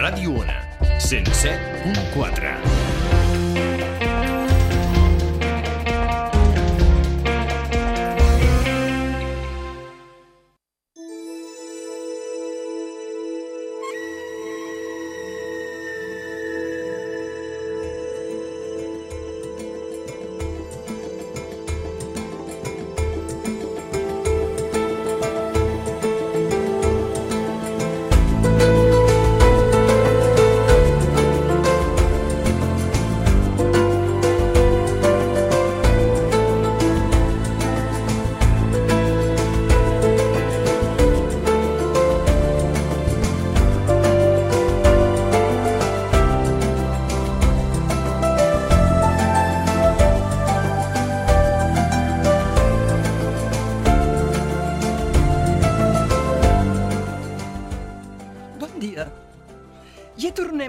Ràdio Ona, 107.4.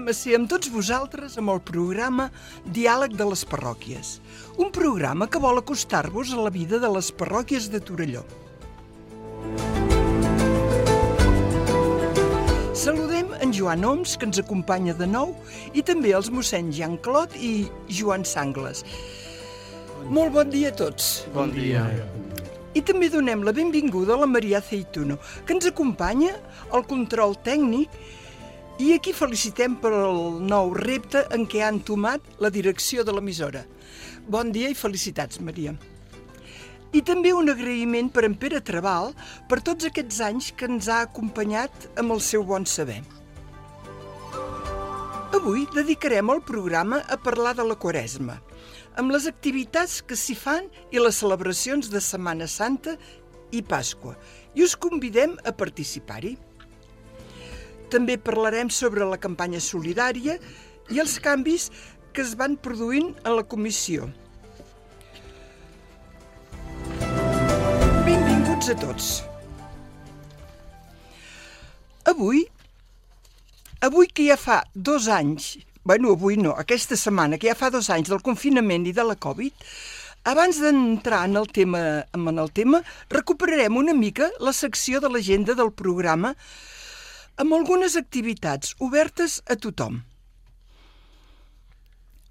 A ser amb tots vosaltres amb el programa Diàleg de les Parròquies, un programa que vol acostar-vos a la vida de les parròquies de Torelló. Saludem en Joan Oms, que ens acompanya de nou, i també els mossèns Jean Clot i Joan Sangles. Molt bon dia a tots. Bon dia. I també donem la benvinguda a la Maria Aceituno, que ens acompanya al control tècnic. I aquí felicitem per el nou repte en què ha entomat la direcció de l'emissora. Bon dia i felicitats, Maria. I també un agraïment per en Pere Trabal per tots aquests anys que ens ha acompanyat amb el seu bon saber. Avui dedicarem el programa a parlar de la Quaresma, amb les activitats que s'hi fan i les celebracions de Setmana Santa i Pasqua, i us convidem a participar-hi. També parlarem sobre la campanya solidària i els canvis que es van produint en la comissió. Benvinguts a tots. Avui que ja fa 2 anys, aquesta setmana, que ja fa 2 anys del confinament i de la Covid, abans d'entrar en el tema, recuperarem una mica la secció de l'agenda del programa amb algunes activitats obertes a tothom.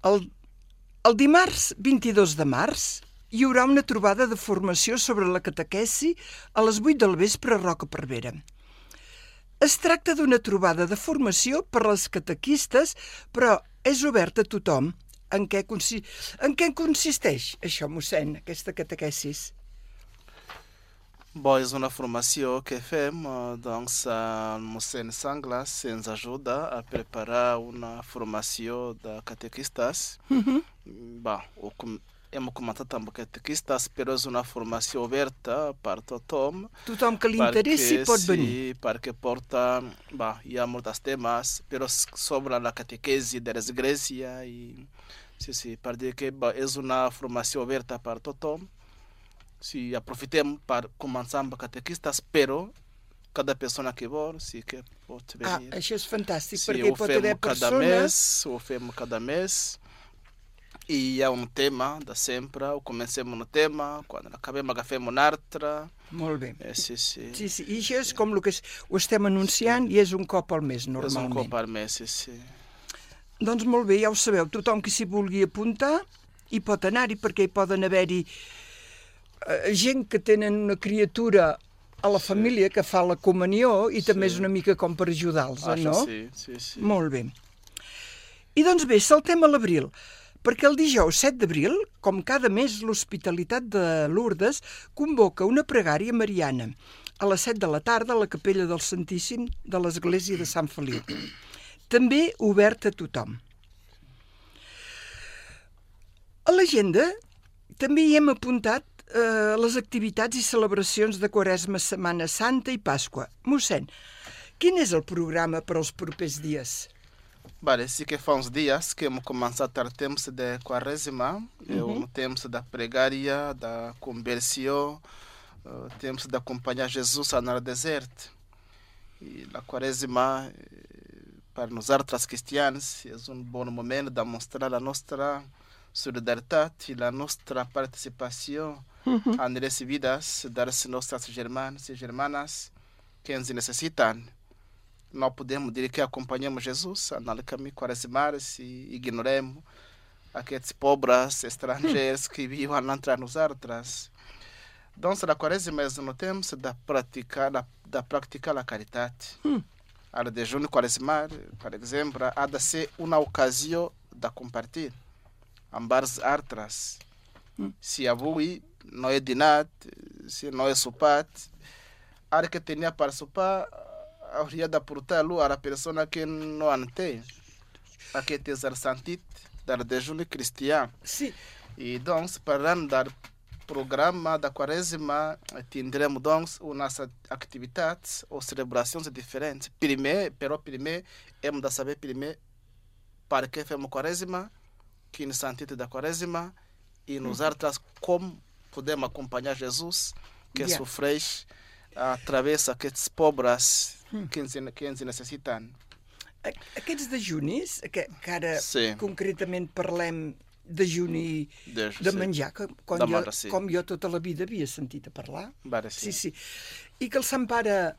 El dimarts 22 de març hi haurà una trobada de formació sobre la catequesi a les 8 del vespre a Roca Cervera. Es tracta d'una trobada de formació per als catequistes, però és oberta a tothom. En què consisteix això, mossèn, aquesta catequesis? Bom, és una formació que fem, doncs el mossèn Sanglas ens ajuda a preparar una formació de catequistas. Bom, hem comentat amb catequistas, però és una formació oberta per tothom. Tothom que li interessi pot venir. Sí, perquè porta, hi ha molts temes, però sobre la catequesi de l'església. Sí, per dir que és una formació oberta per tothom. Si aprofitem para començar amb catequistas, però cada pessoa que vol, sí que pot venir. Això és fantàstic, sí, perquè pot haver persones... Ho fem cada mês, i hi ha un tema de sempre, comencem un tema, quan acabem agafem un altre. Molt bé. Sí. I això és com el que ho estem anunciant, i és un cop al mes, normalment. És un cop al mes, sí. Doncs molt bé, ja ho sabeu, tothom que s'hi vulgui apuntar hi pot anar-hi, perquè hi poden haver-hi gent que tenen una criatura a la família que fa la comunió i també és una mica com per ajudar-los, no? Sí. Molt bé. I doncs bé, saltem a l'abril, perquè el dijous 7 d'abril, com cada mes, l'Hospitalitat de Lourdes convoca una pregària mariana a les 7 de la tarda a la capella del Santíssim de l'església de Sant Feliu. També oberta a tothom. A l'agenda també hi hem apuntat les activitats i celebracions de Quaresma, Setmana Santa i Pasqua. Mossèn, quin és el programa per als propers dies? Sí que fa uns dies que hem començat el temps de Quaresma, um temps da pregària, da conversão, temps d'acompanhar Jesus no deserto. E a Quaresma, para nós outros cristianos, é bom momento de mostrar a nossa solidariedade e a nossa participação nas vidas das nossas irmãs e irmãs que nos necessitam. não podemos dizer que acompanhamos Jesus no caminho quaresimar se ignoremos aqueles pobres estrangeiros que vivem a entrar nos outros. Então, a quaresima é no tempo de praticar a caridade. A de junho quaresimar, por exemplo, há de ser uma ocasião de compartilhar ambas outras. Se a boi não é dinat, se não é sopat, há que tenha para sopar, há de portá-lo à pessoa que não tem. Aqui tem o santit da de junho cristiano. Sim. E então, para dar programa da quaresima, teremos então umas atividades ou celebrações diferentes. Primeiro, hemos de saber para que fazemos quaresima, que no sentido da quaresima, e nos outras como podemos acompanhar Jesus, que sofre através daqueles pobres que necessitam. Aquests dejunis, que ara concretament parlem dejuni de menjar, com jo tota la vida havia sentit a parlar. Sí. I que el Sant Pare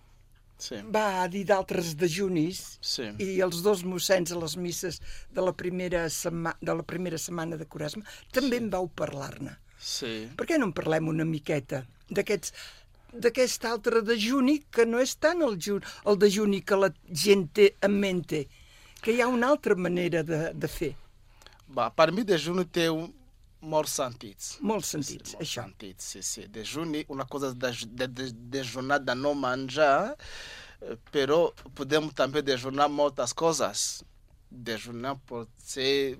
va dir d'altres dejunis i els dos mossens a les misses de la primera setmana de Quaresma també en vau parlar-ne. Per què no en parlem una miqueta d'aquest altre dejuni que no és tant el dejuni que la gent té en mente, que hi ha una altra manera de fer? Per mi, dejuni té molts sentits. Molts sentits, això. Dejuni, una cosa de dejunar de no menjar, però podem també dejunar moltes coses. Dejunar pode ser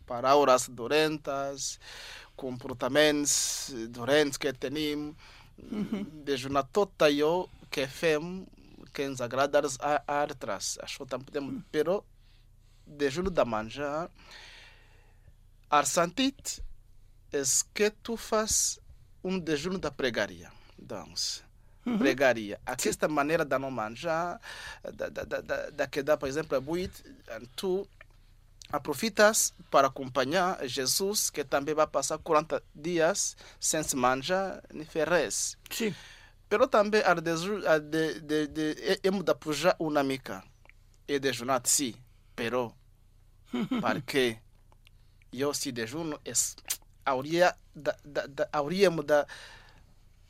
paraules dolentes, comportaments dolents que tenim, dejunar tot allò que fem que ens agrada als altres. Això també podem, però dejuno de menjar, el sentit és que tu fas dejuno de pregaria. Doncs, pregaria. Aquesta maneira de não manjar, de quedar, por exemplo, a 8, tu aproveitas para acompanhar Jesus, que também vai passar 40 dias sem se manjar nem ferres. Sim. Pero também hemos de pujar uma mica e dejunar, sim, pero porque eu se dejuno hauríamos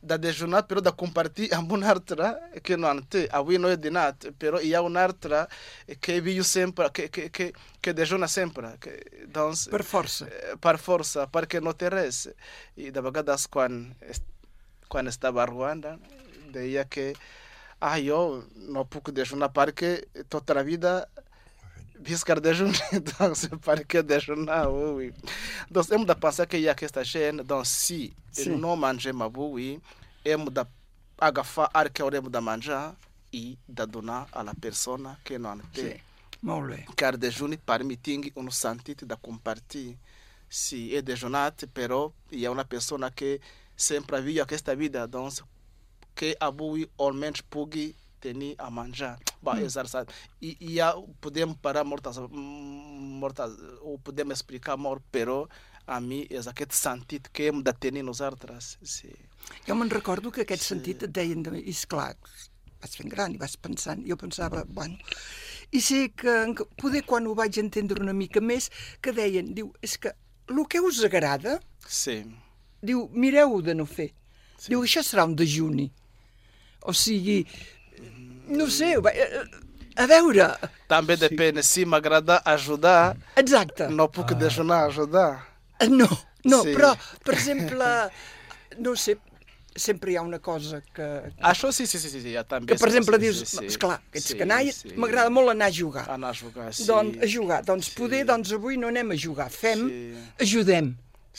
de dejunar, pero de compartilhar uma outra que não tem. Aí não é de nada, pero há uma outra que viu sempre, que dejuna sempre. Então, per força. Per força, porque não tem res. E de vegades, quando estava em Ruanda, deia que eu não posso dejunar porque toda a vida viscar dejunar, então para que dejunar, então hemos de pensar que há esta gente, então se não manjamos boi, hemos de agafar o que hemos de manjar e de donar à pessoa que não tem. Molt bé. Car dejuni permite sentido de compartilhar. Se é dejunat, però hi ha una persona que sempre viu aquesta vida, doncs que avui almenys pugui tenir a manjar. E podemos parar mortas, ou podemos explicar molt, però a mi és aquest sentit que hem de tenir nosaltres. Sí. Jo me'n recordo que aquest sentit et deien, i esclar, vas fent gran i vas pensant, jo pensava, i sé que poder quan ho vaig entendre una mica més, que deien, diu, és que el que us agrada, diu, mireu de no fer. Diu, això serà un dejuni. O sigui, no sé, a veure... També depèn, si m'agrada ajudar, no puc dejunar ajudar. No, però, per exemple, no sé, sempre hi ha una cosa que... Això sí, també. Que, per exemple, dius, esclar, ets canalla, m'agrada molt anar a jugar. Anar a jugar, sí. Doncs, a jugar. Doncs poder, doncs avui no anem a jugar, ajudem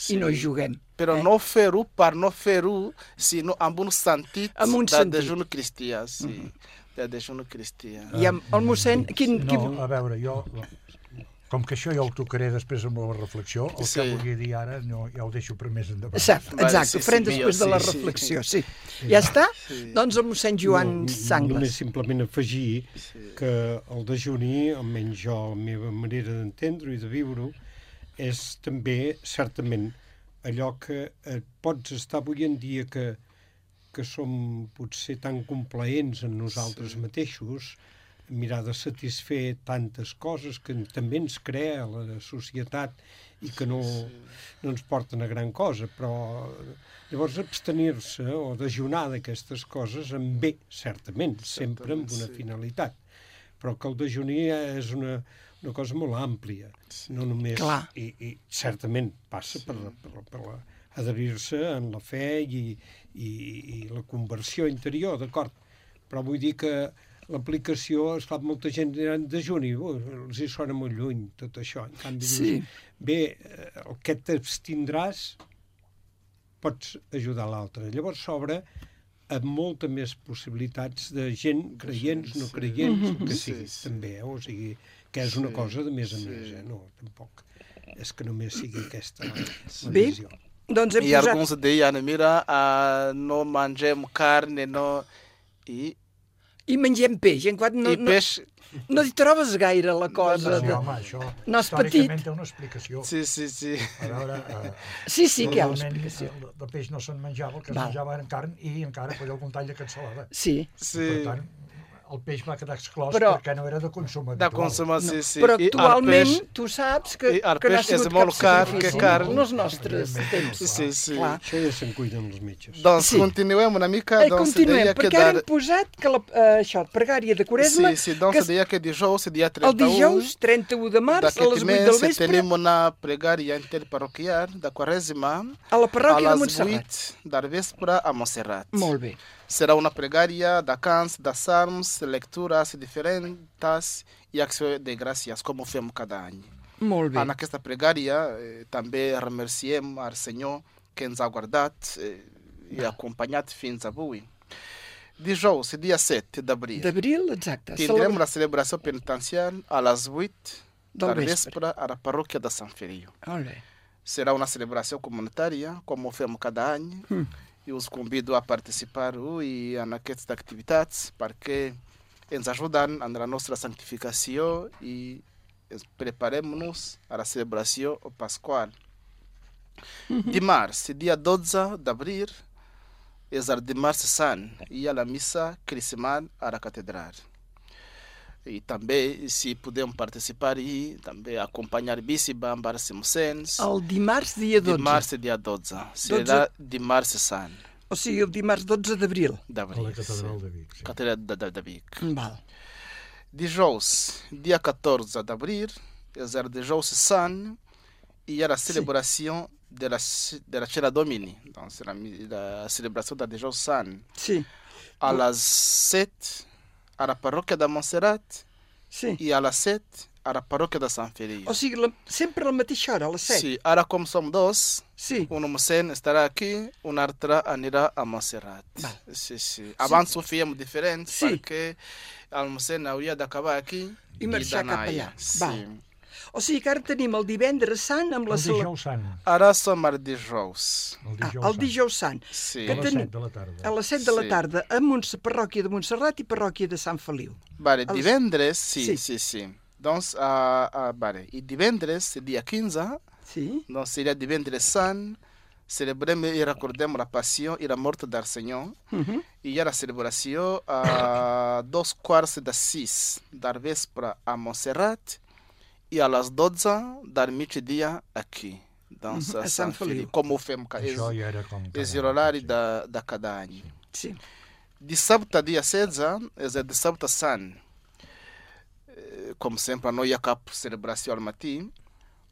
i no juguem. Però no fer-ho per no fer-ho, sinó amb un sentit de dejuni cristià, sí. De dejuni cristià. I el mossèn... No, a veure, jo... Com que això ja ho tocaré després amb la reflexió, el que volia dir ara ja ho deixo per més endavant. Exacte, ho farem després de la reflexió, sí. Ja està? Doncs el mossèn Joan Sangles. Només simplement afegir que el dejuni, almenys jo, la meva manera d'entendre-ho i de viure-ho, és també, certament, allò que pots estar avui en dia que som potser tan complaents en nosaltres mateixos, mirar de satisfer tantes coses que també ens crea la societat i que no ens porten a gran cosa, però llavors abstenir-se o dejunar d'aquestes coses en bé, certament, sempre amb una finalitat, però que el dejuni és una cosa molt àmplia, no només... I certament passa per adherir-se en la fe i la conversió interior, d'acord, però vull dir que l'aplicació, esclar, molta gent dirà en dejuni, els hi sona molt lluny tot això. En canvi, dius, bé, el que t'abstindràs pots ajudar l'altre. Llavors s'obre amb molta més possibilitats de gent, creients, no creients, que sigui, també, o sigui, que és una cosa de més a més, no, tampoc és que només sigui aquesta la visió. Doncs I alguns deien, mira, no mengem carn, no... I mengem peix. Peix... No hi trobes gaire la cosa. Sí, home, això no és petit. Històricament té una explicació. Sí. A veure... Sí, que hi ha una explicació. El peix no se'n menjava, el que es menjava era carn i encara feia algun tall de cansalada. Sí. Per tant, el peix va quedar exclòs perquè no era de consum habitual. De consum, sí. Però actualment tu saps que no ha sigut cap sacrifici. Car. En els nostres temps. Sí. Això ja se'n cuiden els metges. Doncs continuem una mica. Continuem, perquè ara hem posat que això, pregària de Quaresma... Sí, doncs deia que dijous, dia 31... El dijous, 31 de març, a les 8 del vespre... tenim una pregària interparroquial de Quaresma a la parròquia de a Montserrat. les 8 del vespre a Montserrat. Molt bé. Será una pregària de cants, de salms, lecturas diferentes i acció de gràcies, com ho fem cada any. Molt bé. En aquesta pregària també remerciem al Senyor que ens ha guardat i acompanyat fins avui. Dijous, dia 7 d'abril. D'abril, exacte. Tindrem la celebració penitencial a les 8 del vespre a la parròquia de Sant Feliu. Molt bé. Serà una celebració comunitària, com ho fem cada any. I us convido a participar en aquestes activitats perquè ens ajuden en la nostra santificació i preparem-nos a la celebració pasqual. Dimarts, dia 12 d'abril, és el dimarts sant i hi ha la missa crismal a la catedral. I també, si podem participar i també acompanhar Bíssiba amb els mossens. El dimarts, dia 12. Dimarts, dia 12. Serà dimarts sant. O sigui, el dimarts 12 d'abril. A la catedral de Vic. Sí. Catedral de Vic. Val. Dijous, dia 14 d'abril, és el dijous sant i hi ha la celebració de la Cena Domini. Donc, la celebració del dijous sant. Sí. A les 7 a la parròquia de Montserrat i a les 7 a la parròquia de Sant Feliu. O sigui, sempre a la mateixa hora, a les 7? Sí, ara com som dos, un mossèn estarà aquí, un altre anirà a Montserrat. Sí. Abans ho fèiem diferent perquè el mossèn hauria d'acabar aquí i marxar cap allà. Sí. O sigui que ara tenim el divendres sant amb la... El dijous sant. Ara som el dijous. El dijous sant. Sí. A les 7 de la tarda. A les 7 de la tarda, a parròquia de Montserrat i parròquia de Sant Feliu. Vale, divendres, sí. Doncs, i divendres, dia 15, doncs seria divendres sant, celebrem i recordem la passió i la mort del Senyor. I hi ha la celebració a 5:15 del vespre a Montserrat i a les 12 del migdia aquí, doncs a Sant Feliu. Com ho fem? És l'horari de cada any. Sí. Dissabte, dia 16, és el dissabte sant. Com sempre, no hi ha cap celebració al matí.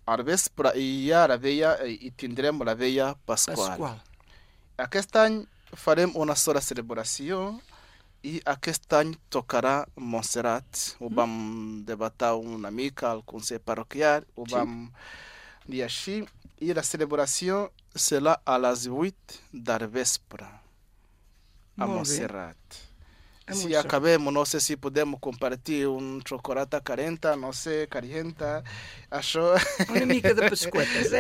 Al vespre hi ha la veia i tindrem la veia pasqual. Aquest any farem una sola celebració i aquest any tocarà Montserrat. Ho vam debatar una mica al Consell Parroquial, ho vam dir així. I la celebració serà a les 8 del vespre a Montserrat. Si acabem, no sé si podem compartir un xocolata calenta, no sé, calienta, això... Una mica de pasquetes,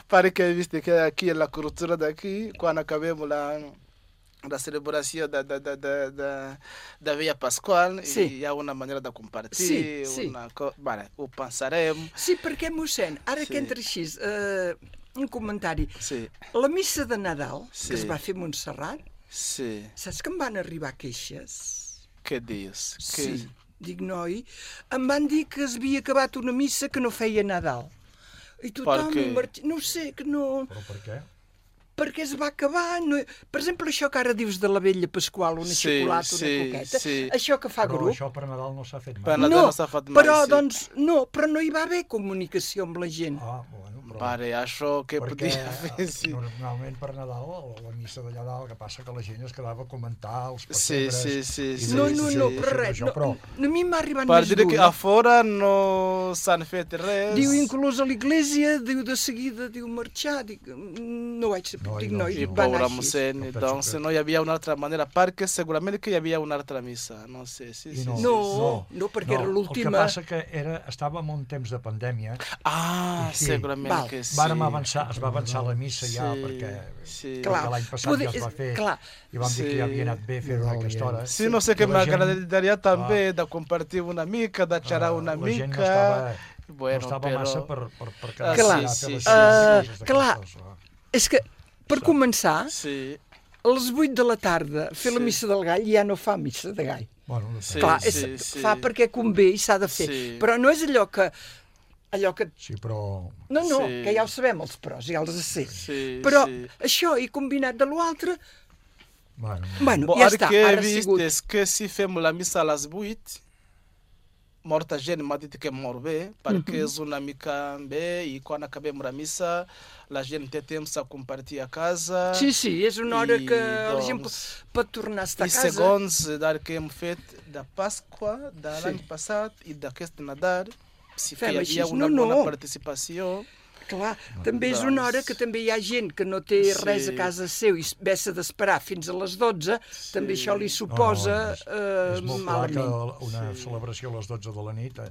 Perquè he vist que aquí, la cultura d'aquí, quan acabem la celebració de Via Pasqual, hi ha una manera de compartir, ho pensarem. Sí, perquè, mossèn, ara que entra així, un comentari. La missa de Nadal, que es va fer a Montserrat, saps que em van arribar queixes? Que diz? Sí, dic noi. Em van dir que es havia acabat una missa que no feia Nadal. I tothom... No ho sé, que no... Però per què? Perquè es va acabar. No... Per exemple, això que ara dius de la vella Pasqual, una xocolata, una coqueta, això que fa però grup... això per Nadal no s'ha fet mai. Per Nadal no s'ha fet mai, però, doncs, no, però no hi va haver comunicació amb la gent. Bueno, però... Pare, això que perquè podia fer, sí. Normalment per Nadal, la missa d'allà dalt, que passa que la gent es quedava a comentar els pessebres... Sí. No, per res. No, a mi m'ha arribat per més dir dur. que a fora no s'han fet res. Diu, inclús a l'església, diu de seguida, diu marxar. Dic, no vaig saber. Dic, no, I pobre mossèn, doncs no hi havia una altra manera, perquè segurament que hi havia una altra missa, no sé, No, perquè era l'última. El que passa que estàvem en un temps de pandèmia. Segurament que sí. Es va avançar la missa ja, perquè l'any passat ja es va fer, i vam dir que ja havia anat bé fer-ho a aquesta hora. Sí, no sé què m'agradaria també de compartir una mica, de xerrar una mica... No estava massa per quedar allà a fer les coses. Clar, és que, per començar, a les 8 de la tarda, fer la missa del gall ja no fa missa de gall. Clar, fa perquè convé i s'ha de fer. Però no és allò que... Sí, però... No, que ja ho sabem, els pros, ja els sé. Però això, i combinat de l'altre... Bueno, ja està, ara ha sigut... És que si fem la missa a les 8, molta gent m'ha dit que mor bé, perquè és una mica bé, i quan acabem la missa, la gent té temps a compartir a casa... Sí, és una hora que la gent pot tornar a estar a casa. I segons el que hem fet de Pasqua, de l'any passat, i d'aquest Nadal... Si que hi havia una bona participació... Clar, també és una hora que també hi ha gent que no té res a casa seu i ve-se d'esperar fins a les 12, també això li suposa és molt clar malament. Que una celebració a les 12 de la nit,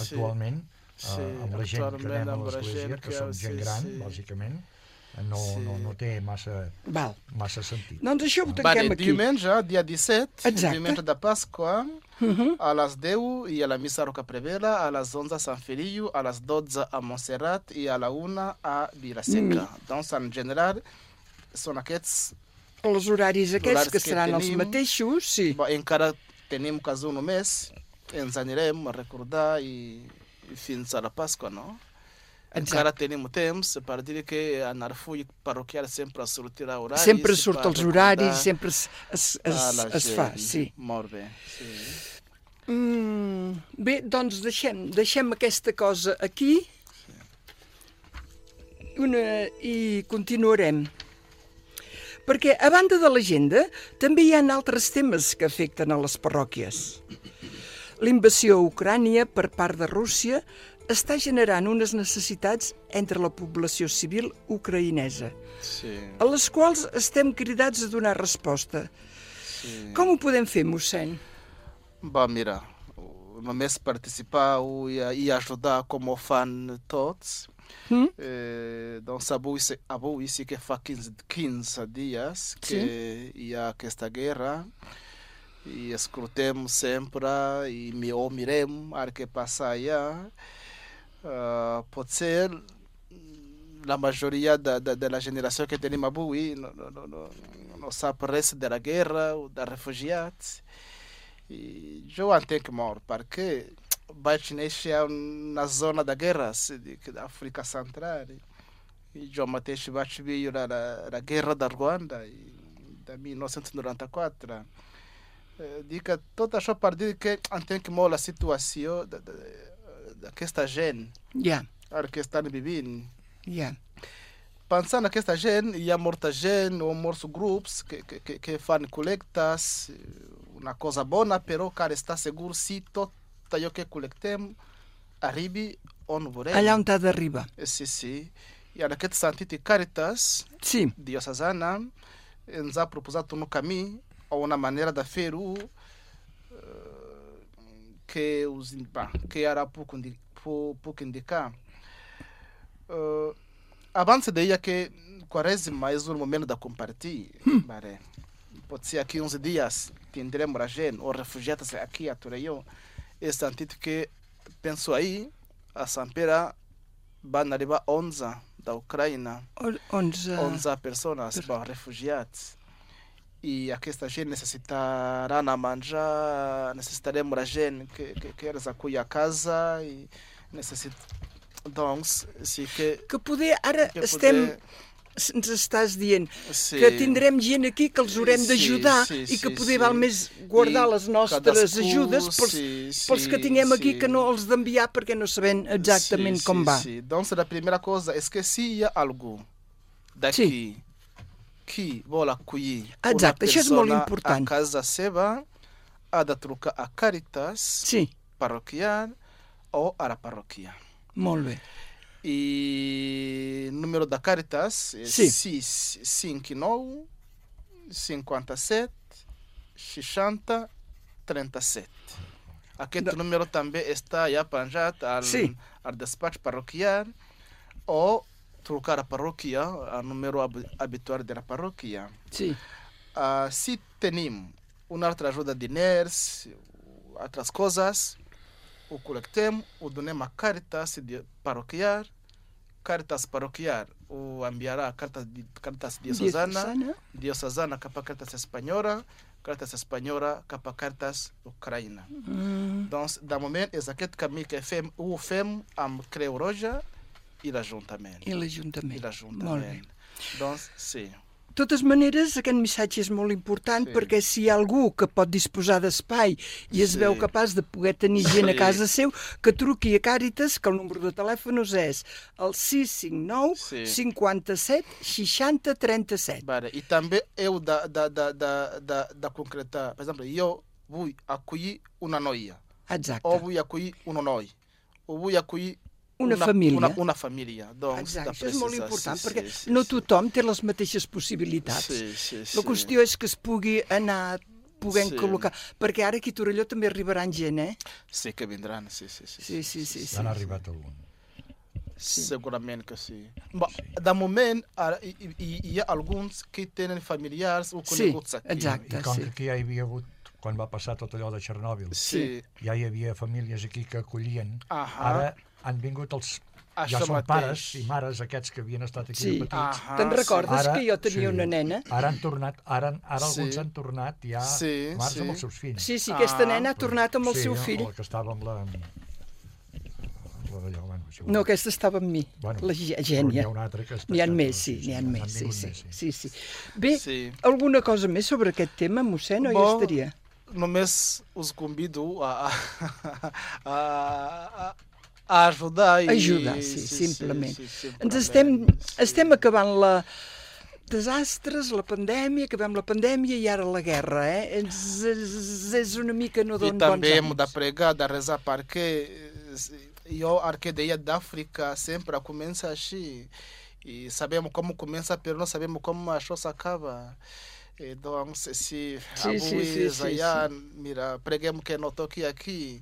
actualment, amb la gent que anem a l'església, que som gent gran, bàsicament, no té massa sentit. Doncs això ho tanquem aquí. Diumenge, dia 17, diumenge de Pasqua, a les 10 i a la missa Roca Prevera, a les 11 a Sant Feliu, a les 12 a Montserrat i a la 1 a Vilaseca. Doncs, en general, són aquests... Els horaris aquests, que seran els mateixos, sí. Encara tenim quasi un mes, ens anirem a recordar i fins a la Pasqua, no? Encara tenim temps per dir que en el full parroquial sempre sortirà horaris. Sempre surt els horaris, sempre es fa, sí. Molt bé, sí. Bé, doncs deixem aquesta cosa aquí i continuarem. Perquè, a banda de l'agenda, també hi ha altres temes que afecten a les parròquies. L'invasió a Ucrània per part de Rússia està generant unes necessitats entre la població civil ucraïnesa, a les quals estem cridats a donar resposta. Com ho podem fer, mossèn? Mira, només participar i ajudar com ho fan tots. Doncs avui sí que fa 15 dies que hi ha aquesta guerra i escoltem sempre i mirem el que passa allà. Potser la majoria de la generació que tenim avui no sap res de la guerra o dels refugiats. I jo entenc molt, perquè vaig néixer na zona de guerres d'Àfrica Central. I jo mateix vaig viure la guerra de Ruanda de 1994. Dic que tot això per dir que entenc molt la situació d'aquesta gent, el que estan vivint. Pensant en aquesta gent, hi ha molta gent o molts grups que fan col·lectes, una cosa bona, però cal estar segur si tot allò que col·lectem arribi on volem. Allà on ha d'arribar. Sí. I en aquest sentit, Càritas diocesana ens ha proposat un camí o una manera de fer-ho que ara puc indicar. Abans deia que Quaresma és um momento de compartilhar. Pode ser aqui uns dias tindremos a gente, ou refugiados aqui a Torreio. Esse sentido que penso aí, a Sampera vai arribar 11 da Ucrânia. 11 pessoas, refugiados. e aquesta gent necessitarà necessitaremos a gente que eles acolhem a casa e então, sí que poder, ara ens estàs dient que tindrem gent aquí que els haurem d'ajudar i que poder val més guardar les nostres ajudes pels que tinguem aquí que no els d'enviar perquè no sabem exactament com va. Doncs a primeira coisa é que se hi ha algú d'aquí que vol acollir una persona a casa seva, ha de trucar a Càritas parroquial o a la parròquia. Molt bé. E o número da Càritas é 659 57 60 37. Aquest número també està ja penjat al despatx parroquial o trucar a parròquia, o número habitual da parròquia. Se tenim uma altra ajuda de diners, outras coisas, o colectemos, o donemos a Caritas paroquial. Caritas paroquial o enviará Caritas diocesana para Caritas espanhola, Caritas espanhola para Caritas ucraína. Então, da momento, é aquele caminho que o FEM am Creu Roja e l'Ajuntament. Molt bé. Doncs, sí. De totes maneres, aquest missatge és molt important perquè si hi ha algú que pot disposar d'espai i es veu capaç de poder tenir gent a casa seu, que truqui a Càritas, que el número de telèfons és el 659 57 60 37. I també heu de concretar, per exemple, jo vull acollir una noia, o vull acollir un noi, o vull acollir una família. Doncs, exacte, és molt important perquè no tothom té les mateixes possibilitats. La qüestió és que es pugui anar podent col·locar, perquè ara aquí a Torelló també arribaran gent, Sí, que vindran, sí. Han arribat algun. Segurament que sí. De moment, hi ha alguns que tenen familiars o coneguts aquí. Exacte, I com que aquí ja hi havia hagut, quan va passar tot allò de Chernobyl, ja hi havia famílies aquí que acollien, ara han vingut ja són pares i mares aquests que havien estat aquí de petits. Te'n recordes que jo tenia una nena? Ara han tornat, ara alguns han tornat ja març amb els seus fills. Sí, aquesta nena ha tornat amb el seu fill. Sí, el que estava amb la... No, aquesta estava amb mi, la Gènia. N'hi ha una altra que està... N'hi ha més, n'hi ha més, sí. Bé, alguna cosa més sobre aquest tema, mossèn, o ja estaria? Només us convido a ajudar. Ajudar, simplement. Ens estem acabant desastres, la pandèmia, acabem la pandèmia i ara la guerra, és una mica no dona bons anys. I també hem de pregar, de rezar, perquè a arquedeia d'África sempre começa assim, e sabemos como começa, mas não sabemos como a coisa acaba. Então, se mira, preguemos que não toque aqui.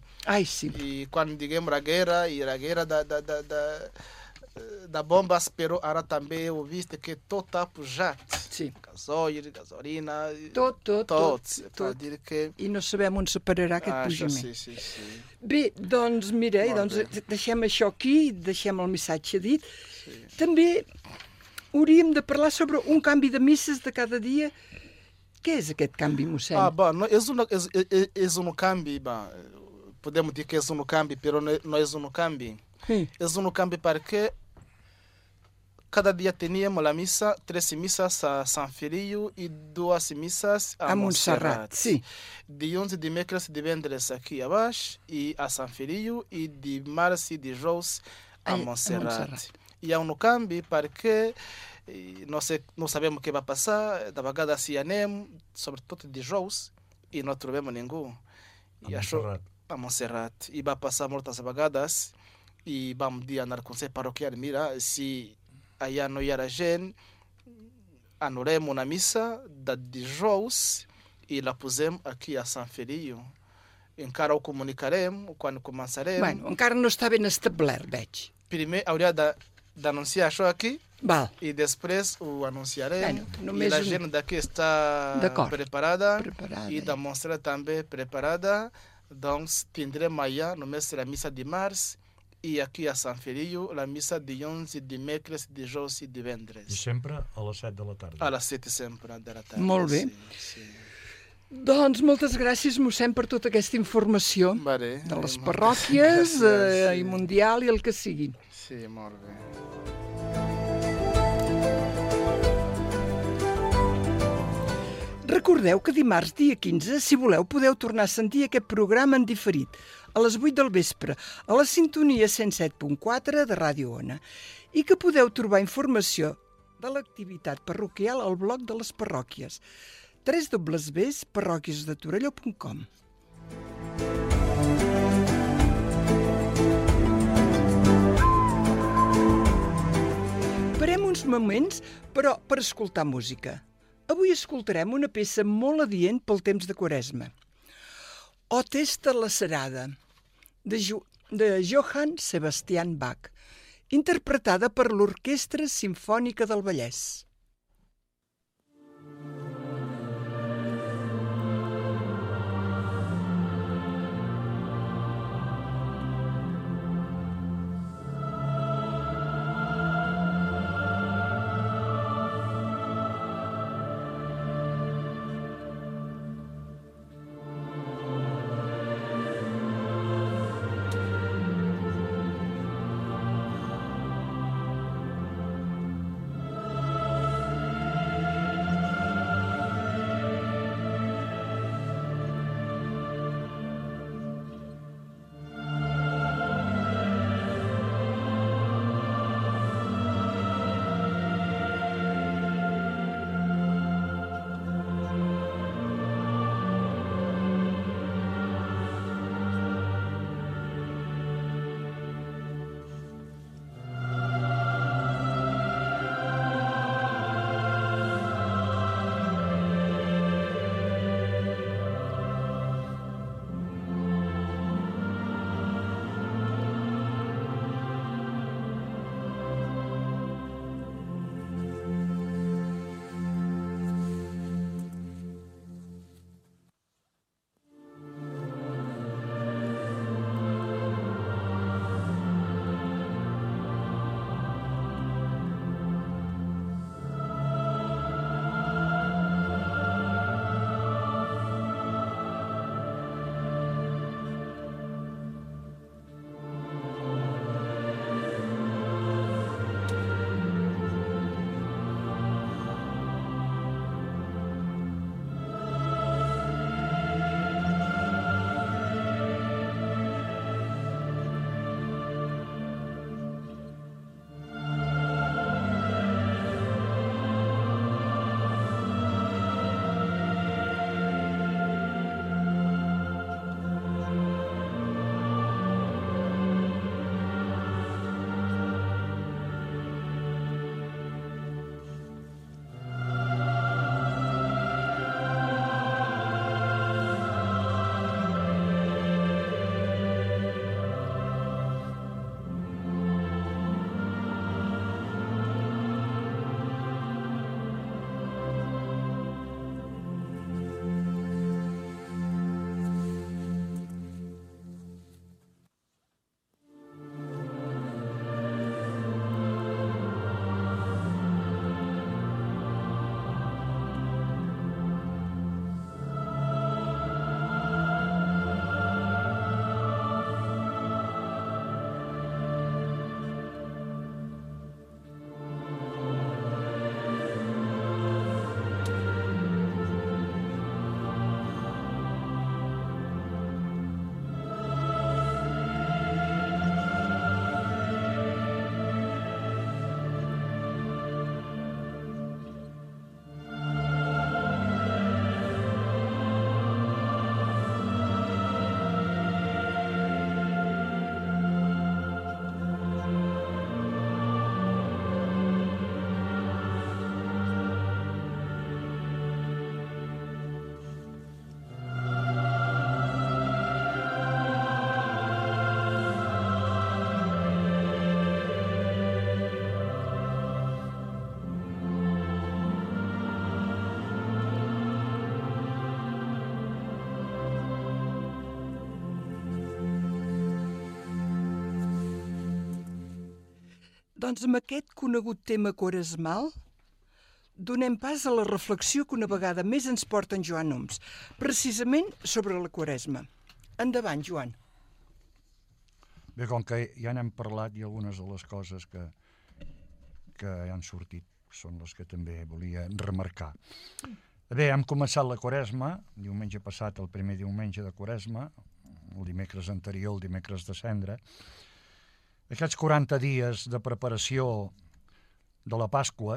E quando digamos a guerra da bomba, pero ara também ouviste que todo está pujat. Gasoil, gasolina, tot. I no sabem on se pararà aquest pujament. Bé, doncs mira, deixem això aquí, deixem el missatge dit. També hauríem de parlar sobre un canvi de misses de cada dia. Què és aquest canvi, mossèn? És un canvi, podemos dir que és un canvi, però não és un canvi. És un canvi perquè cada dia teníamos a missa, 3 missas a São Filho e 2 missas a Montserrat. De 11 de mércoles de vendres aqui abaixo e a São Filho e de março e de Jous a Montserrat. E há um câmbio porque não sabemos o que vai passar, da vagada se anem, sobretudo de Jous, e não trovemos ninguém. A Montserrat. E vai passar muitas vagadas e vamos dizer na conselho paroquial, mira, se aí não ir a gente, anulemos na missa de Jous e la pusemos aqui a São Filho. Encara ho comunicarem quan començarem. Bueno, encara no està ben establert, veig. Primer hauria d'anunciar això aquí i després ho anunciarem. I la gent d'aquí està preparada i da Montserrat també preparada. Doncs tindrem allà només la missa de març i aquí a Sant Feliu la missa dilluns i dimecres, dijous i divendres. I sempre a les 7 de la tarda. A les 7 sempre de la tarda. Molt bé. Sí. Doncs moltes gràcies, mossèn, per tota aquesta informació de les parròquies i mundial i el que sigui. Sí, molt bé. Recordeu que dimarts, dia 15, si voleu, podeu tornar a sentir aquest programa en diferit, a les 8 del vespre, a la sintonia 107.4 de Ràdio Ona, i que podeu trobar informació de l'activitat parroquial al blog de les parròquies, www.parroquiasdetorelló.com. Parem uns moments, però per escoltar música. Avui escoltarem una peça molt adient pel temps de Quaresma. O Testa lacerada, de Johann Sebastian Bach, interpretada per l'Orquestra Simfònica del Vallès. Doncs amb aquest conegut tema quaresmal donem pas a la reflexió que una vegada més ens porta en Joan Oms, precisament sobre la Quaresma. Endavant, Joan. Bé, com que ja n'hem parlat i algunes de les coses que han sortit són les que també volia remarcar. Bé, hem començat la Quaresma, diumenge passat, el primer diumenge de Quaresma, el dimecres anterior, el dimecres de Cendra. Aquests 40 dies de preparació de la Pasqua,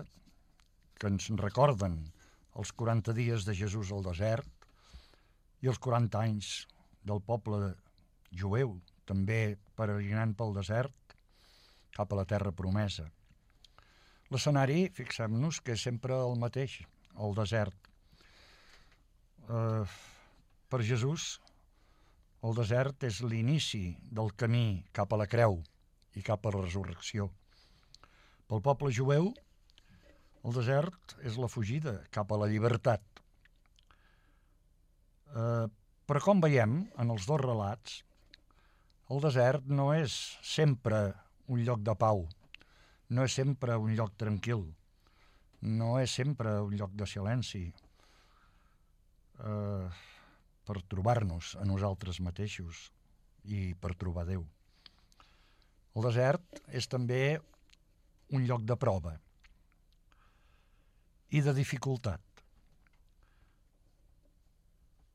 que ens recorden els 40 dies de Jesús al desert i els 40 anys del poble jueu, també peregrinant pel desert cap a la terra promesa. L'escenari, fixem-nos, que és sempre el mateix, el desert. Per Jesús, el desert és l'inici del camí cap a la creu i cap a la resurrecció. Pel poble jueu, el desert és la fugida cap a la llibertat. Però com veiem en els dos relats, el desert no és sempre un lloc de pau, no és sempre un lloc tranquil, no és sempre un lloc de silenci per trobar-nos a nosaltres mateixos i per trobar Déu. El desert és també un lloc de prova i de dificultat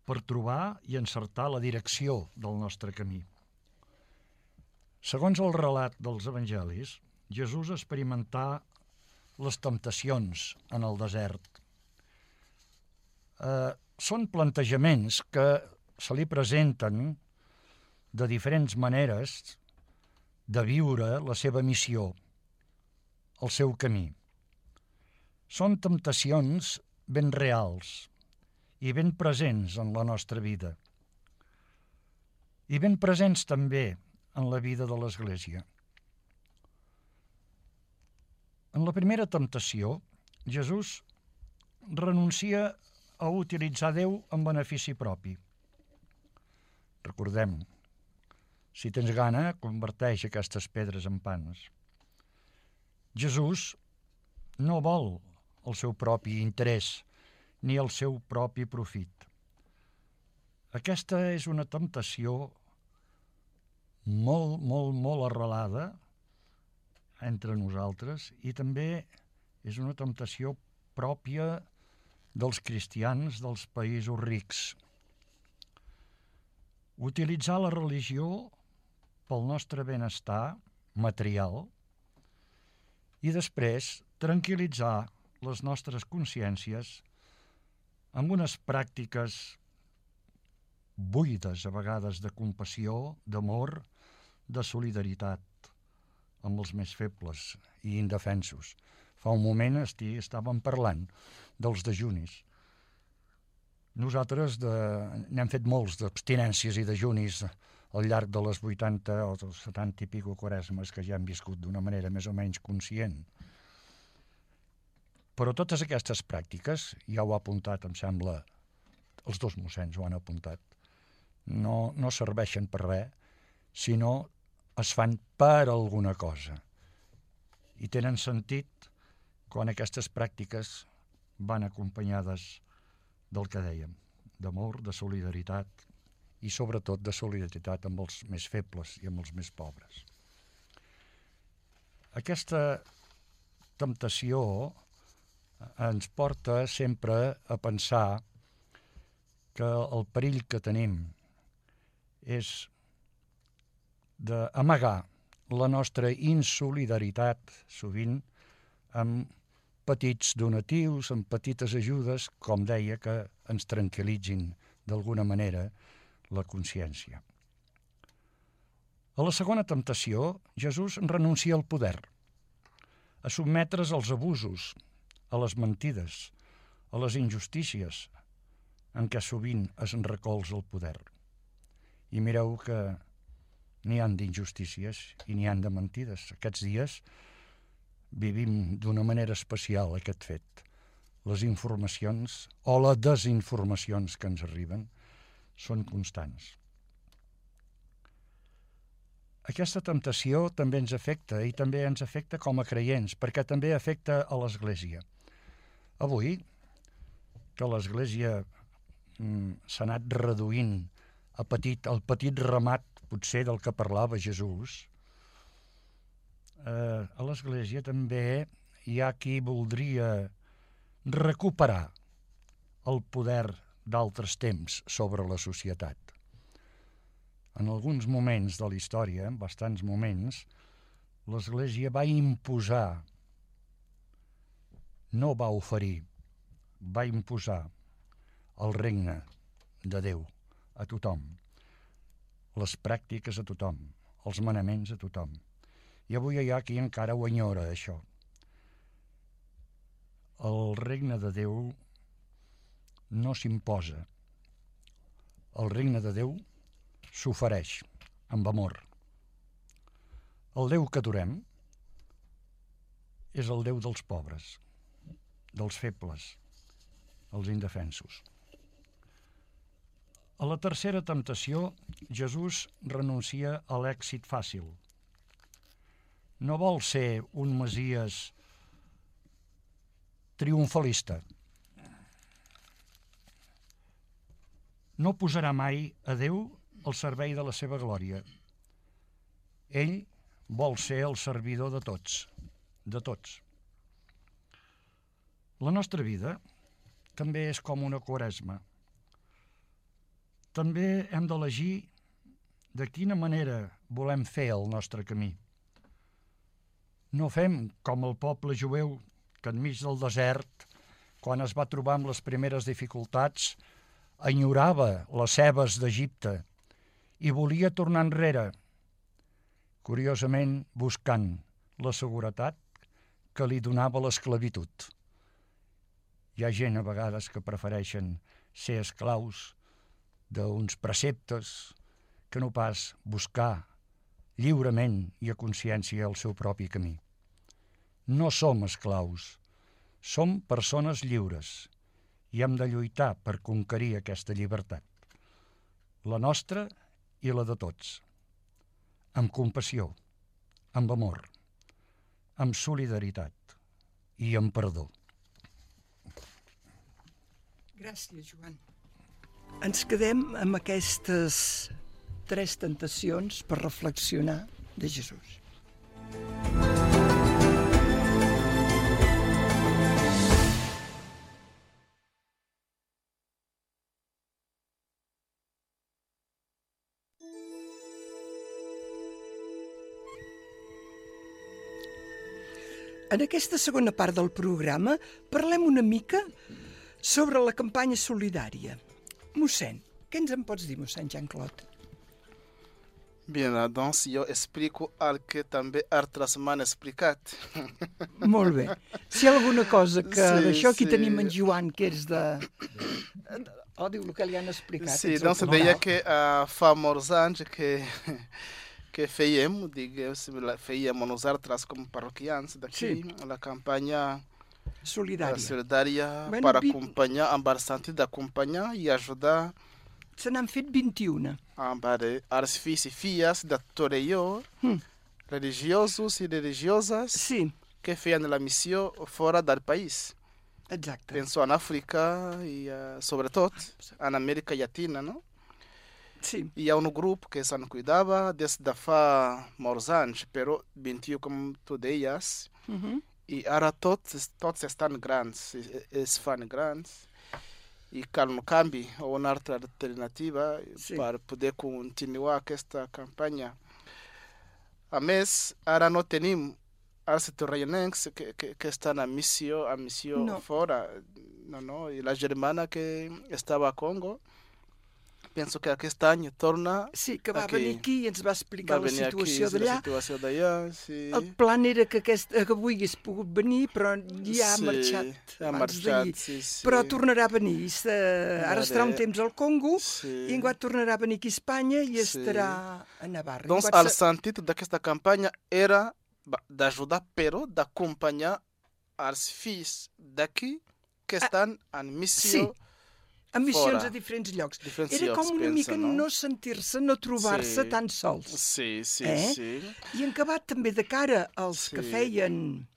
per trobar i encertar la direcció del nostre camí. Segons el relat dels evangelis, Jesús experimentà les temptacions en el desert. Són plantejaments que se li presenten de diferents maneres de viure la seva missió, el seu camí. Són temptacions ben reals i ben presents en la nostra vida i ben presents també en la vida de l'Església. En la primera temptació, Jesús renuncia a utilitzar Déu en benefici propi. Recordem, si tens gana, converteix aquestes pedres en pans. Jesús no vol el seu propi interès ni el seu propi profit. Aquesta és una temptació molt arrelada entre nosaltres i també és una temptació pròpia dels cristians dels països rics. Utilitzar la religió pel nostre benestar material i després tranquil·litzar les nostres consciències amb unes pràctiques buides, a vegades, de compassió, d'amor, de solidaritat amb els més febles i indefensos. Fa un moment estàvem parlant dels dejunis. Nosaltres n'hem fet molts d'abstinències i dejunis al llarg de les 80 o 70 i pico quaresmes que ja hem viscut d'una manera més o menys conscient. Però totes aquestes pràctiques, ja ho ha apuntat, em sembla, els dos mossens ho han apuntat, no serveixen per res, sinó es fan per alguna cosa. I tenen sentit quan aquestes pràctiques van acompanyades del que dèiem, d'amor, de solidaritat i sobretot de solidaritat amb els més febles i amb els més pobres. Aquesta temptació ens porta sempre a pensar que el perill que tenim és d'amagar la nostra insolidaritat sovint amb petits donatius, amb petites ajudes, com deia, que ens tranquil·litzin d'alguna manera la consciència. A la segona temptació, Jesús renuncia al poder, a sotmetre's als abusos, a les mentides, a les injustícies en què sovint es recolza el poder. I mireu que n'hi han d'injustícies i n'hi han de mentides. Aquests dies vivim d'una manera especial aquest fet. Les informacions o les desinformacions que ens arriben són constants. aquesta temptació també ens afecta, i també ens afecta com a creients, perquè també afecta a l'Església. Avui, que l'Església s'ha anat reduint al petit ramat, potser, del que parlava Jesús, a l'Església també hi ha qui voldria recuperar el poder d'altres temps sobre la societat. En alguns moments de la història, en bastants moments, l'Església va imposar, no va oferir, va imposar el regne de Déu a tothom, les pràctiques a tothom, els manaments a tothom. I avui hi ha qui encara ho enyora, això. El regne de Déu no s'imposa. El regne de Déu s'ofereix amb amor. El Déu que adorem és el Déu dels pobres, dels febles, els indefensos. A la tercera temptació, Jesús renuncia a l'èxit fàcil. No vol ser un Messies triomfalista. No posarà mai a Déu al servei de la seva glòria. Ell vol ser el servidor de tots, de tots. La nostra vida també és com una quaresma. També hem d'elegir de quina manera volem fer el nostre camí. No fem com el poble jueu que enmig del desert, quan es va trobar amb les primeres dificultats, enyorava les cebes d'Egipte i volia tornar enrere, curiosament buscant la seguretat que li donava l'esclavitud. Hi ha gent a vegades que prefereixen ser esclaus d'uns preceptes que no pas buscar lliurement i a consciència el seu propi camí. No som esclaus, som persones lliures i hem de lluitar per conquerir aquesta llibertat, la nostra i la de tots, amb compassió, amb amor, amb solidaritat i amb perdó. Gràcies, Joan. Ens quedem amb aquestes 3 tentacions per reflexionar de Jesús. En aquesta segona part del programa parlem una mica sobre la campanya solidària. Mossèn, què ens en pots dir, mossèn Jean-Claude? Bien, doncs jo explico el que també altres m'han explicat. Molt bé. Si hi ha alguna cosa que d'això aquí tenim en Joan, que és de... diu el que li han explicat. Sí, doncs deia que fa molts anys que fèiem, fèiem nosaltres com parroquians d'aquí, la campanya solidària per acompanyar, amb el sentit d'acompanyar i ajudar. Se n'han fet 21. Els fills i filles de Torelló, religiosos i religioses, que feien la missió fora del país. Exacte. Penso en Àfrica i sobretot en Amèrica Llatina, no? Sí. Hi ha un grup que se'n cuidava des de fa molts anys, però 21, com tu deies, i ara tots estan grans, es fan grans, i cal un canvi o una altra alternativa per poder continuar aquesta campanya. A més, ara no tenim els torrellonencs que estan a missió fora. No, i la germana que estava a Congo, penso que aquest any torna... Sí, que va venir aquí i ens va explicar la situació d'allà. Sí. El plan era que avui hagués pogut venir, però ja ha marxat. Però tornarà a venir. Ara estarà un temps al Congo i enguany tornarà a venir aquí a Espanya i estarà a Navarra. Doncs el sentit d'aquesta campanya era d'ajudar, però d'acompanyar els fills d'aquí que estan en missió amb missions fora. a diferents llocs. Diferents Era com llocs, una pensa, mica no? no sentir-se, no trobar-se Sí. tan sols. Sí, sí, sí. I en acabat també de cara als Sí. que feien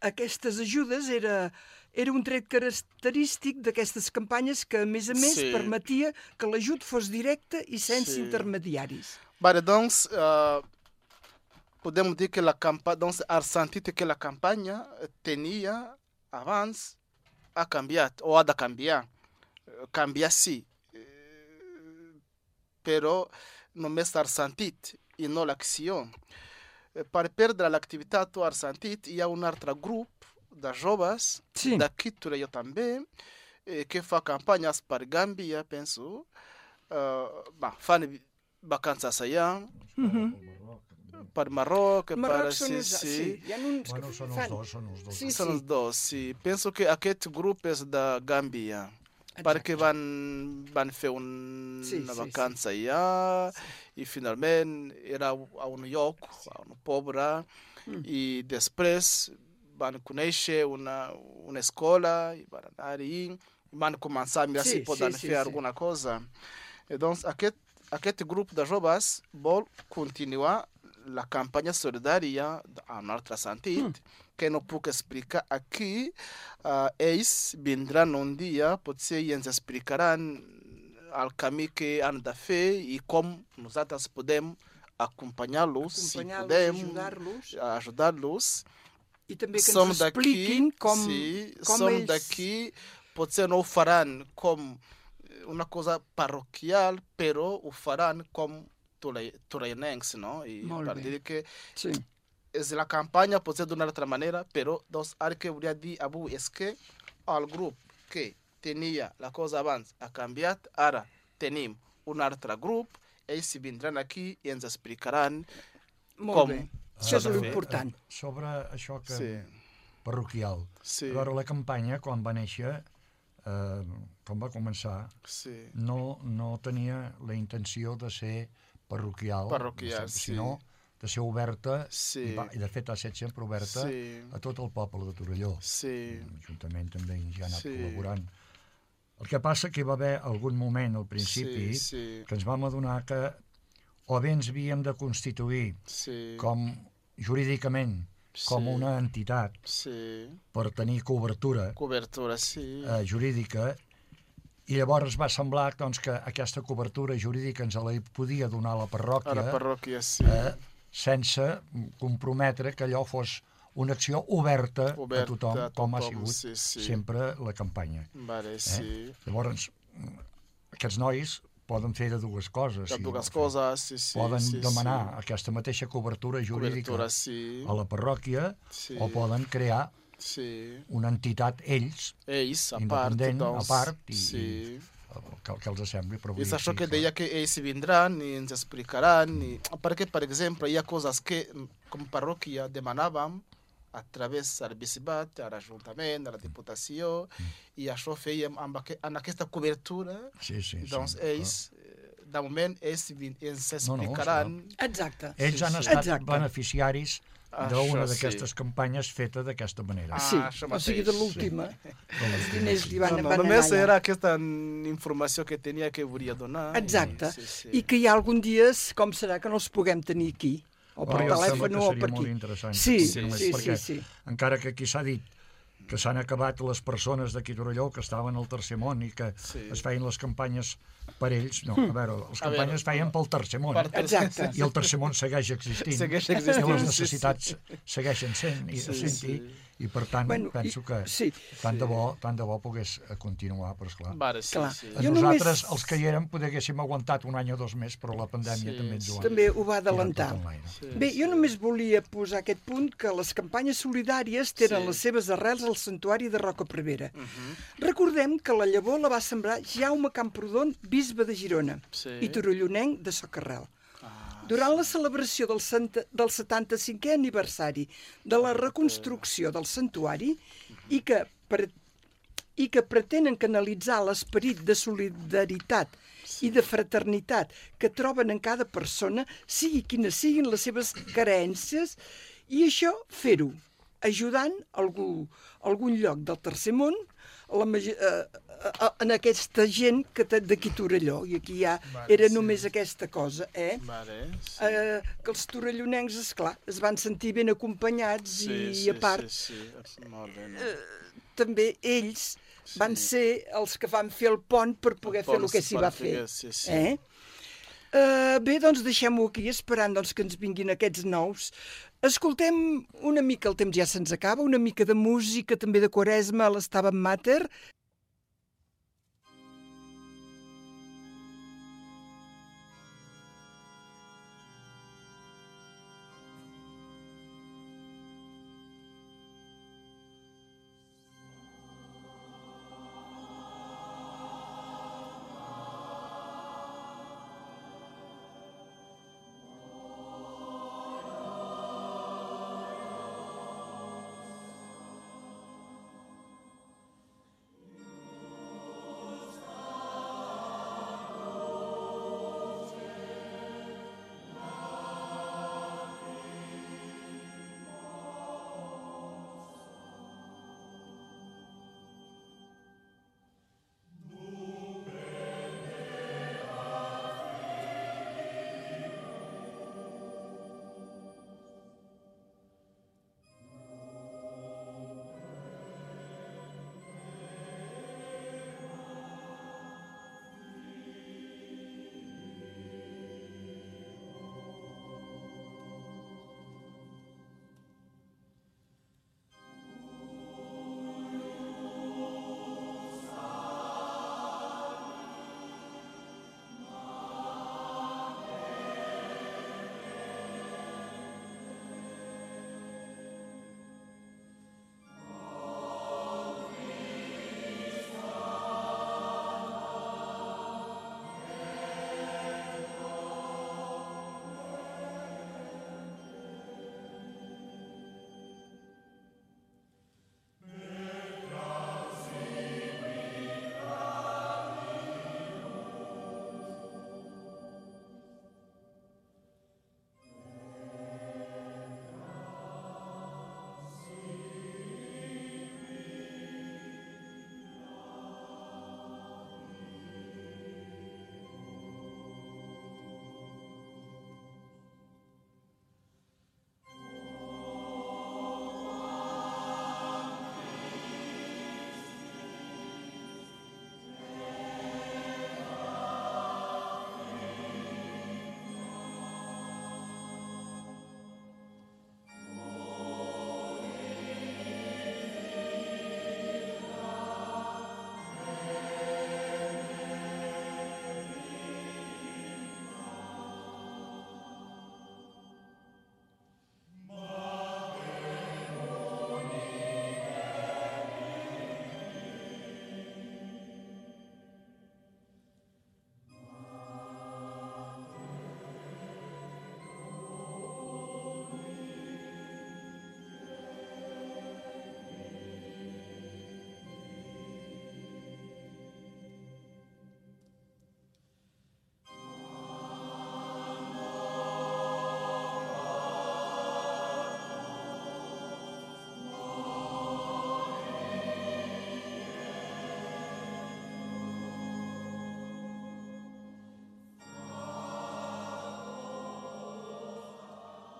aquestes ajudes era un tret característic d'aquestes campanyes que, a més, Sí. permetia que l'ajut fos directe i sense Sí. intermediaris. Vale, doncs, podemos dizer que a campanha, doncs, a sentido que a campanha tinha abans a cambiar, ou a de cambiar. Cambiar sim, pero no mesmo ar sentit e não l'action. Para perder a atividade do ar sentit, hi ha un altre grup de joves, Sí. d'aquí Torelló també, que fa campanyes per Gàmbia, penso, fan vacances allà, per Marroc, Marroc per... són uns... Sí, hi ha uns Bueno, que són fan... els dos, són els dos. Sí, Són els dos, sí. Penso que aquest grup és de Gàmbia, perquè van fer una vacança allà i finalment era a un lloc, a un poble, i després van conèixer una escola i van anar-hi, van començar a mirar si poden fer alguna cosa. Doncs aquest grup de joves vol continuar la campanya solidària en un altre sentit, que no puc explicar aquí. Ells vindran un dia, potser i ens explicaran el camí que han de fer i com nosaltres podem acompanyar-los, si podem ajudar-los. I també que ens expliquin com som ells... d'aquí, potser no ho faran com una cosa parroquial, però ho faran com torellonencs, no? I per dir que és la campanya pot ser d'una altra manera, però doncs, el que volia dir avui és que el grup que tenia la cosa abans ha canviat, ara tenim un altre grup, ells vindran aquí i ens explicaran com això és l'important. Sobre això que parroquial. A veure, la campanya, quan va néixer, quan va començar, no tenia la intenció de ser parroquial, sinó de ser oberta, i de fet ha estat sempre oberta a tot el poble de Torelló. L'Ajuntament també ja ha anat col·laborant. El que passa que hi va haver algun moment al principi que ens vam adonar que o bé ens havíem de constituir com jurídicament com una entitat per tenir cobertura jurídica, i llavors va semblar doncs, que aquesta cobertura jurídica ens la podia donar la parròquia, sense comprometre que allò fos una acció oberta a tothom, com ha sigut sempre la campanya. Llavors, aquests nois poden fer de dues coses. Poden demanar aquesta mateixa cobertura jurídica a la parròquia o poden crear una entitat ells independent, a part, i que els sembli. I és això que deia que ells vindran i ens explicaran, perquè, per exemple, hi ha coses que com parròquia demanàvem a través del bisbat, a l'Ajuntament, a la Diputació, i això fèiem en aquesta cobertura. Doncs ells, de moment, ells ens explicaran. Exacte. Ells han estat beneficiaris d'una d'aquestes campanyes feta d'aquesta manera. O sigui, de l'última. Els diners li van anar allà. Només era aquesta informació que tenia que volia donar. Exacte. I que hi ha algun dia, com serà, que no els puguem tenir aquí. O per telèfon o per aquí. Sí. Encara que aquí s'ha dit que s'han acabat les persones d'aquí Torelló que estaven al Tercer Món i que es feien les campanyes per ells. No, a veure, les campanyes es feien pel Tercer Món. Exacte. I el Tercer Món segueix existint. I les necessitats segueixen sent-hi. I per tant, penso que tant de bo pogués continuar, però esclar. Nosaltres, els que hi érem, poder haguéssim aguantat un any o dos més, però la pandèmia també ho va adelantar. Bé, jo només volia posar aquest punt que les campanyes solidàries tenen les seves arrels al santuari de Roca Prevera. Recordem que la llavor la va sembrar Jaume Camprodon, bisbe de Girona, i torellonenc de Socarrel. Durant la celebració del 75è aniversari de la reconstrucció del santuari i que pretenen canalitzar l'esperit de solidaritat i de fraternitat que troben en cada persona, sigui quines siguin les seves carències, i això fer-ho ajudant algun lloc del Tercer Món, en aquesta gent d'aquí Torelló, i aquí ja era només aquesta cosa, que els torellonencs, esclar, es van sentir ben acompanyats i a part també ells van ser els que van fer el pont per poder fer el que s'hi va fer. Bé, doncs deixem-ho aquí esperant que ens vinguin aquests nous. Escoltem una mica, el temps ja se'ns acaba, una mica de música també de Quaresma a l'Stabat Mater.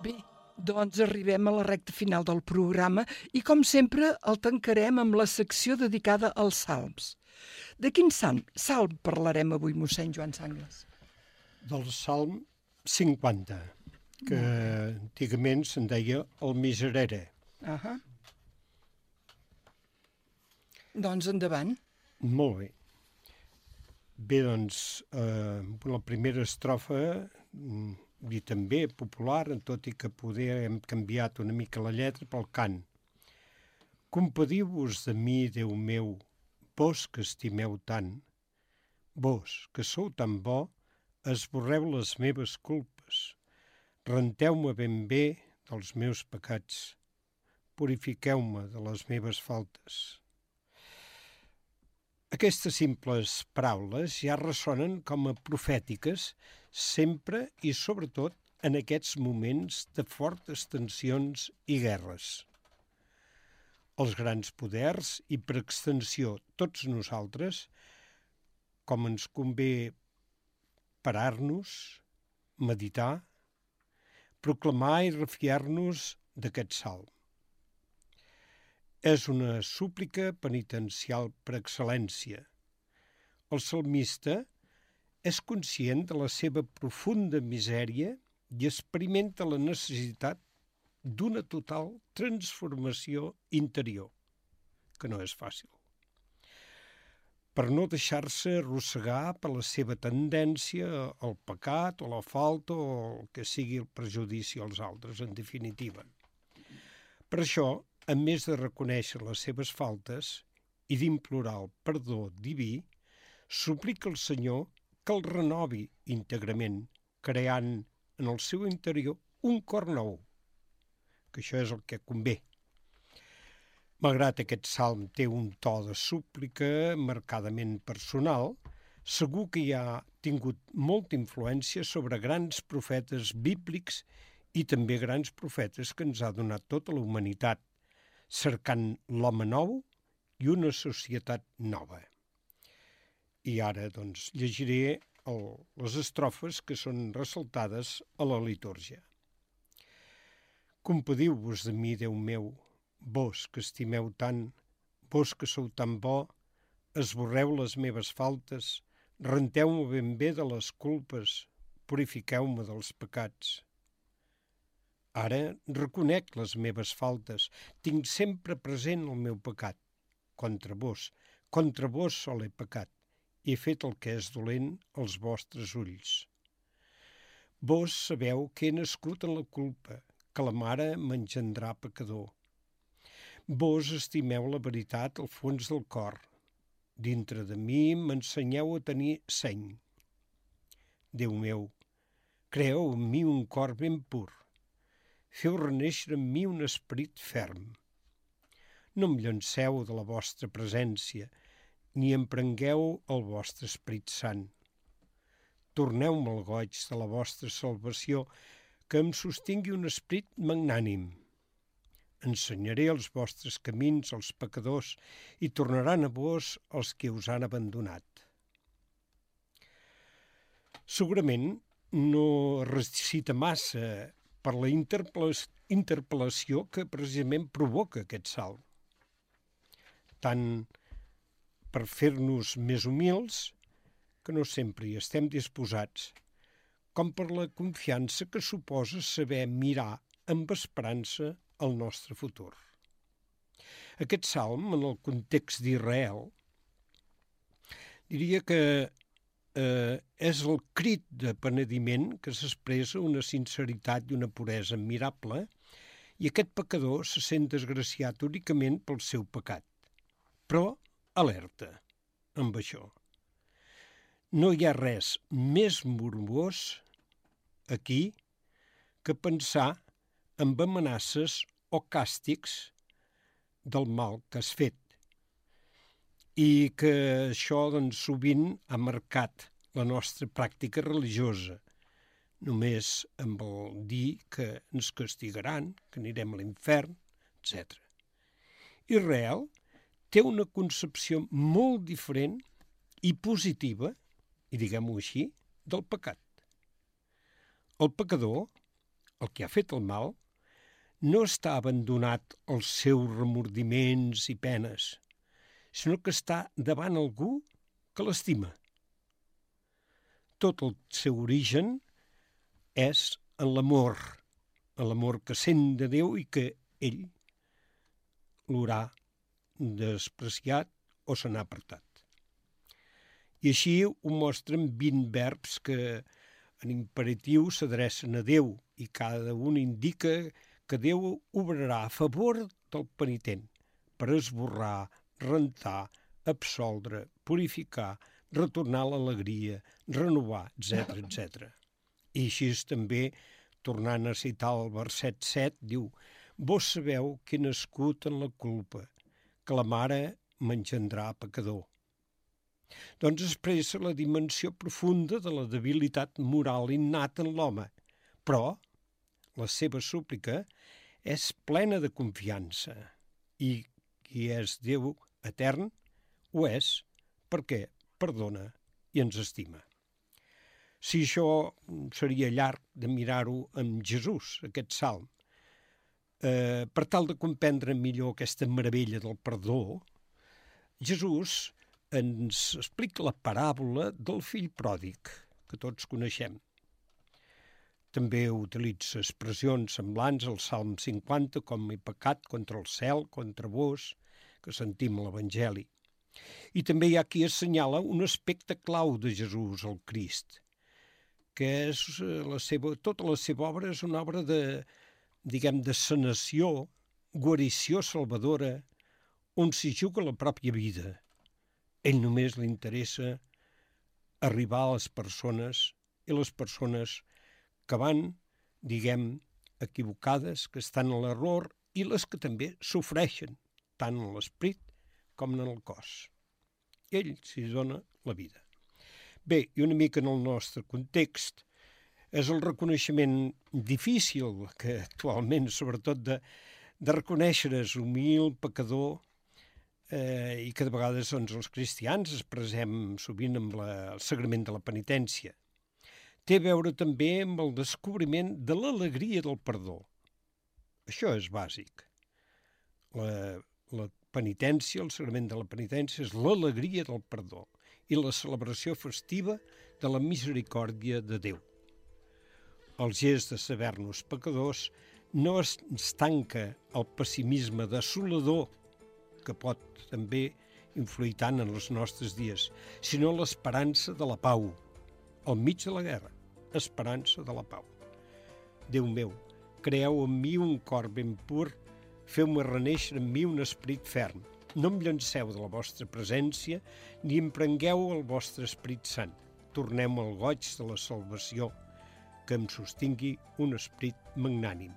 Bé, doncs arribem a la recta final del programa i, com sempre, el tancarem amb la secció dedicada als salms. De quin salm parlarem avui, mossèn Joan Sanglas? Del Salm 50, que antigament se'n deia el Miserere. Doncs endavant. Molt bé. Bé, doncs, la primera estrofa, i també popular, tot i que poder hem canviat una mica la lletra pel cant. Compadiu-vos de mi, Déu meu, vos que estimeu tant, vos que sou tan bo, esborreu les meves culpes, renteu-me ben bé dels meus pecats, purifiqueu-me de les meves faltes. Aquestes simples paraules ja ressonen com a profètiques sempre i sobretot en aquests moments de fortes tensions i guerres. els grans poders i, per extensió, tots nosaltres, com ens convé parar-nos, meditar, proclamar i refiar-nos d'aquest salm. És una súplica penitencial per excel·lència. El salmista és conscient de la seva profunda misèria i experimenta la necessitat d'una total transformació interior, que no és fàcil. Per no deixar-se arrossegar per la seva tendència al pecat o la falta o el que sigui el perjudici als altres, en definitiva. Per això, a més de reconèixer les seves faltes i d'implorar el perdó diví, suplica al Senyor que el renovi íntegrament, creant en el seu interior un cor nou, que això és el que convé. Malgrat aquest salm té un to de súplica marcadament personal, segur que hi ha tingut molta influència sobre grans profetes bíblics i també grans profetes que ens ha donat tota la humanitat, cercant l'home nou i una societat nova. I ara, doncs, llegiré les estrofes que són ressaltades a la litúrgia. Compadiu-vos de mi, Déu meu, vos que estimeu tant, vos que sou tan bo, esborreu les meves faltes, renteu-me ben bé de les culpes, purifiqueu-me dels pecats. Ara reconec les meves faltes, tinc sempre present el meu pecat. Contra vos sol he pecat, i he fet el que és dolent als vostres ulls. Vos sabeu que he nascut en la culpa, que la mare m'engendrà pecador. Vos estimeu la veritat al fons del cor. Dintre de mi m'ensenyeu a tenir seny. Déu meu, creeu en mi un cor ben pur. Feu renéixer en mi un esperit ferm. No em llanceu de la vostra presència, ni em prengueu el vostre Esperit Sant. Torneu-me el goig de la vostra salvació, que em sostingui un esperit magnànim. Ensenyaré els vostres camins als pecadors i tornaran a vos els que us han abandonat. Segurament no recita massa per la interpel·lació que precisament provoca aquest salm. Tant per fer-nos més humils, que no sempre hi estem disposats, com per la confiança que suposa saber mirar amb esperança el nostre futur. Aquest salm, en el context d'Israel, diria que és el crit de penediment que s'expressa una sinceritat i una puresa admirable, i aquest pecador se sent desgraciat únicament pel seu pecat. Però alerta amb això. No hi ha res més morbós aquí que pensar en amenaces o càstigs del mal que has fet, i que això doncs, sovint ha marcat la nostra pràctica religiosa, només amb el dir que ens castigaran, que anirem a l'infern, etc. Israel té una concepció molt diferent i positiva, i diguem-ho així, del pecat. El pecador, el que ha fet el mal, no està abandonat als seus remordiments i penes, sinó que està davant algú que l'estima. Tot el seu origen és en l'amor que sent de Déu i que ell l'haurà despreciat o se n'ha apartat. I així ho mostren 20 verbs que en imperatiu s'adrecen a Déu i cada un indica que Déu obrarà a favor del penitent per esborrar, rentar, absoldre, purificar, retornar l'alegria, renovar, etc. etc. I així també, tornant a citar el verset 7, diu: «Vos sabeu que he nascut en la culpa, que la mare m'engendrà pecador». Doncs expressa la dimensió profunda de la debilitat moral innata en l'home, però la seva súplica és plena de confiança i i és Déu etern, ho és perquè perdona i ens estima. Si això seria llarg de mirar-ho amb Jesús, aquest salm, per tal de comprendre millor aquesta meravella del perdó, Jesús ens explica la paràbola del fill pròdig, que tots coneixem. També utilitza expressions semblants al Salm 50, com he pecat contra el cel, contra vos, que sentim a l'Evangeli. I també hi ha qui assenyala un aspecte clau de Jesús, el Crist, que és tota la seva obra és una obra de sanació, guarició salvadora, on s'hi juga la pròpia vida. Ell només li interessa arribar a les persones, i les persones que van, equivocades, que estan en l'error, i les que també sofreixen, tant en l'esperit com en el cos. Ell s'hi dona la vida. Bé, i una mica en el nostre context, és el reconeixement difícil que actualment, sobretot de reconèixer-es humil, pecador, i que de vegades els cristians expressem sovint amb el sagrament de la penitència. Té a veure també amb el descobriment de l'alegria del perdó. Això és bàsic. La penitència, el sagrament de la penitència, és l'alegria del perdó i la celebració festiva de la misericòrdia de Déu. El gest de saber-nos pecadors no es tanca al pessimisme desolador que pot també influir tant en els nostres dies, sinó l'esperança de la pau, al mig de la guerra, esperança de la pau. Déu meu, creeu en mi un cor ben pur, feu-me renéixer en mi un esperit ferm. No em llanceu de la vostra presència, ni em prengueu el vostre Esperit Sant. Tornem al goig de la salvació, que em sostingui un esperit magnànim.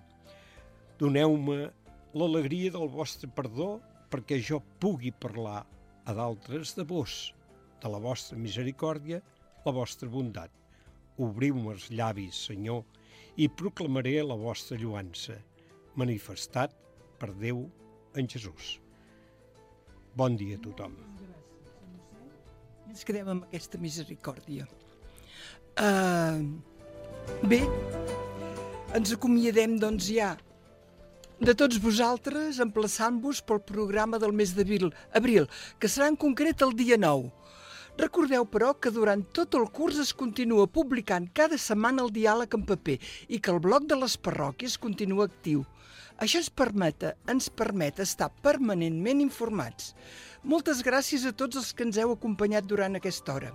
Doneu-me l'alegria del vostre perdó, perquè jo pugui parlar a d'altres de vos, de la vostra misericòrdia, la vostra bondat. Obriu-me els llavis, Senyor, i proclamaré la vostra lloança, manifestat per Déu en Jesús. Bon dia a tothom. Ens quedem amb aquesta misericòrdia. Bé, ens acomiadem doncs ja de tots vosaltres, emplaçant-vos pel programa del mes d'abril, que serà en concret el dia 9. Recordeu, però, que durant tot el curs es continua publicant cada setmana el diàleg en paper i que el bloc de les parròquies continua actiu. Això ens permet estar permanentment informats. Moltes gràcies a tots els que ens heu acompanyat durant aquesta hora.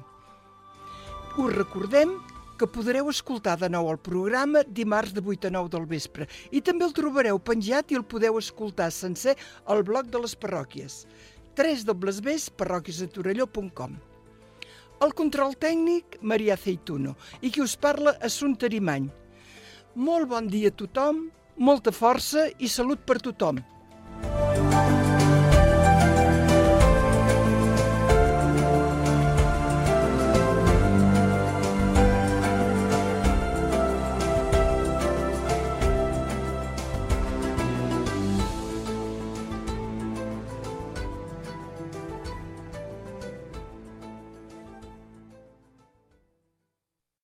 Us recordem que podreu escoltar de nou el programa dimarts de 8 a 9 del vespre i també el trobareu penjat i el podeu escoltar sencer al bloc de les parròquies. www.parroquiasdetorelló.com. El control tècnic, Maria Aceituno, i qui us parla, Assumpta Arimany. Molt bon dia a tothom, molta força i salut per tothom.